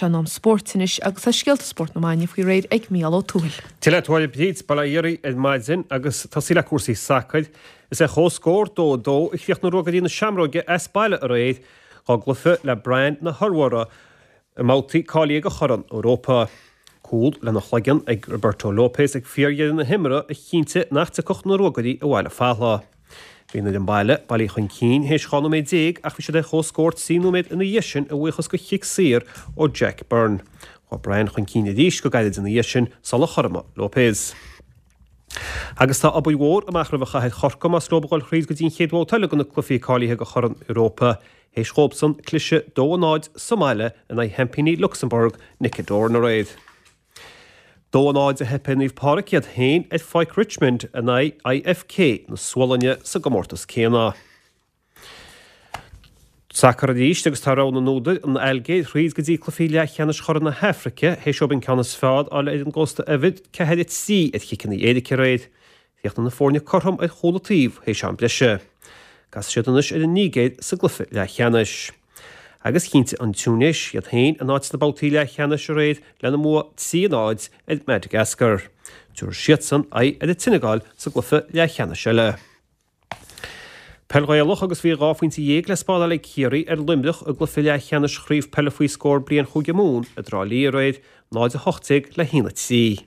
Tá sé in am spóirt anois agus tá scéalta spóirt na maidine faoi réir ag Mícheál Ó Tuathail. Dia leat a Mháire Bríd, bail ó Dhia oraibh ar maidin agus tosaí le cúrsaí sacair. Is ar chomhscór 2-2 a chríochnaigh Ruagairí na Seamróige as baile aréir dá gcluiche le Brann na hIorua i mbabhtaí cáilithe do Chorn Europa. Cúl lena chloigeann ag Roberto Lopes ag fíordheireadh na himeartha a chinntigh nach dtiocfadh na Ruagairí abhaile fathallaigh. Bhí an fhoireann baile bailithe chun cinn théis 12 nóiméad ach bhí siad ar comhscór 3 nóiméad ina dhiaidh sin a bhuíochas do chic saor ó Jack Byrne. Chuaigh Brann chun cinn arís go gairid ina dhiaidh sin sular chothromaigh Lopes. Agus tá obair mhór amach roimh chathair Chorcaí más leo a dhul thríd go dtí an chéad bhabhta eile de na cluichí cáilithe do Chorn Europa théis dhóibhsan cliseadh 2-0 sa mbaile in aghaidh sheaimpíní Lucsamburg, Nic O'Doran aréir. 2-0 a theip ar Naomh Pádraig iad féin ar Pháirc Richmond in aghaidh IFK na Sualainne sa gcomórtas céanna. Sacar arís agus tá rogha na n-údar, an Ailgéir, thríd go dtí cluichí leathcheannais Chorn na hAfraice théis dóibh an ceann is fearr a fháil ar an gCósta Eabhair, 4-3 ar chiceanna éirice aréir. Chríochnaigh na foirne cothrom ar chúl an taobh théis am breise. Casfaidh siad anois ar an Nigéir sa gcluiche leathcheannais. Agus chinntigh an Túinéis iad féin a n-áit sna babhtaí leathcheannais aréir lena mbua 3-0 ar Madagascar. Tabharfaidh siadsan aghaidh ar an tSeineagáil sa gcluiche leathcheannais eile. Peil Ghaelach agus bhí 12 phointe le spáráil ag Ciarraí ar Luimneach i gcluiche leathcheannais Chraobh Peile Faoi Scór Bliain Chúige Mumhan i dTrá Lí aréir, 0-18 le 1-3.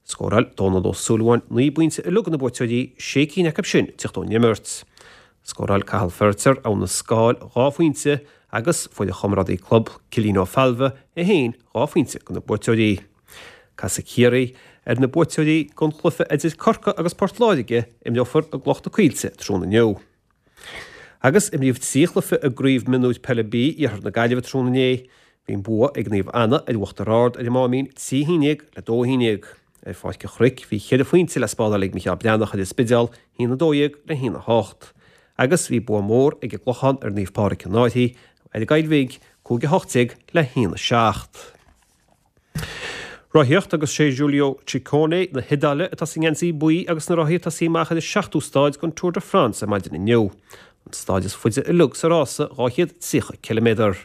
Scóráil Dónal Ó Súilleabháin 9 bpointe uilig do na buaiteoirí, sé cinn acu sin ag teacht ón imirt. Scóráil Cathal Feiritéar, Abha na Scáil, 2 phointe agus fuair a chomrádaí club, Cillín Ó Failbhe, é féin 2 phointe do na buaiteoirí. Casfaidh Ciarraí ar na buaiteoirí den chluiche idir Corcaigh agus Port Láirge, imreofar i gCloich na Coillte tráthnóna inniu. Agus imríodh 3 chluiche i gCraobh Mionúir Peile B Iarthar na Gaillimhe tráthnóna inné. Bhí an bua ag Naomh Anna ar Uachtar Ard ar an Máimín 3 1 le 2 1. Ar Pháirc an Chnoic bhí cheithre phointe le spáráil ag Micheál Breathnach ar an Spidéal, 1 12 le 1 8. Agus bhí bua mór ag an gClochán ar Naomh Pádraig an Fhairche ar an gCoill Bhig, 5 18 le 1 7. Rothaíocht agus sé Giulio Ciccone na hIodáile atá sa ngeansaí buí agus na rothaí ag tosaí amach ar an seachtú stáid den Tour de France ar maidin inniu. An stáid is faide uilig sa rása, 230 ciliméadar.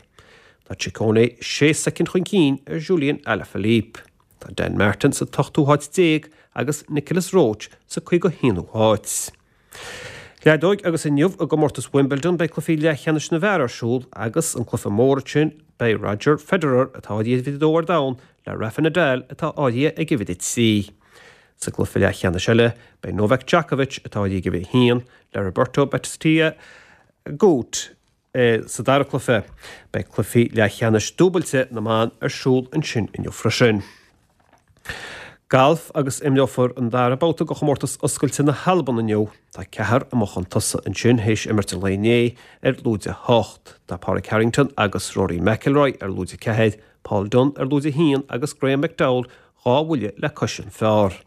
Tá Ciccone sé soicind chun cinn ar Julian Alaphilippe. Tá Dan Martin sa t-ochtú háit déag agus Nicolas Roche sa 51ú háit. Leadóig agus inniu i gcomórtas Wimbledon beidh cluichí leathcheannais na bhfear ar siúl agus an cluiche mór ansin beidh Roger Federer atá áirithe ag uimhir a dó ar domhan le Rafa Nadal atá áirithe ag uimhir a 3. Sa gcluiche leathcheannais eile beidh Novak Djokovic atá áirithe ag uimhir a haon le Roberto Bautista Agut Sa dara cluiche, beidh cluichí leathcheannais dúbailte na mban ar siúl ansin inniu freisin. Galf agus imreofar an dara babhta de chomórtas oscailte na hAlban inniu. Tá ceathrar amuigh chun tosaigh ansin théis imirt an lae inné ar lúide 8. Tá Pádraig Harrington agus Rory McIlroy ar lúide 4, Paul Dunne ar lúide 1 agus Graeme McDowell 2 bhuille le cois an phar.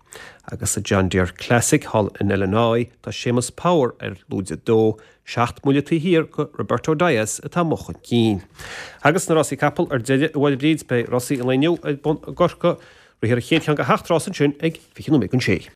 Agus sa John Deere Classic thall in Illinois, tá Séamus Power ar lúide 2, 7 mbuille taobh thiar de Roberto Diaz atá amuigh chun cinn. Agus na rásaí capall ar deireadh, a Mháire Bríd, beidh rásaí an lae inniu ar bun i gCorcaigh. Rithfear an chéad cheann de sheacht rás ansin ag 20 nóiméad don sé.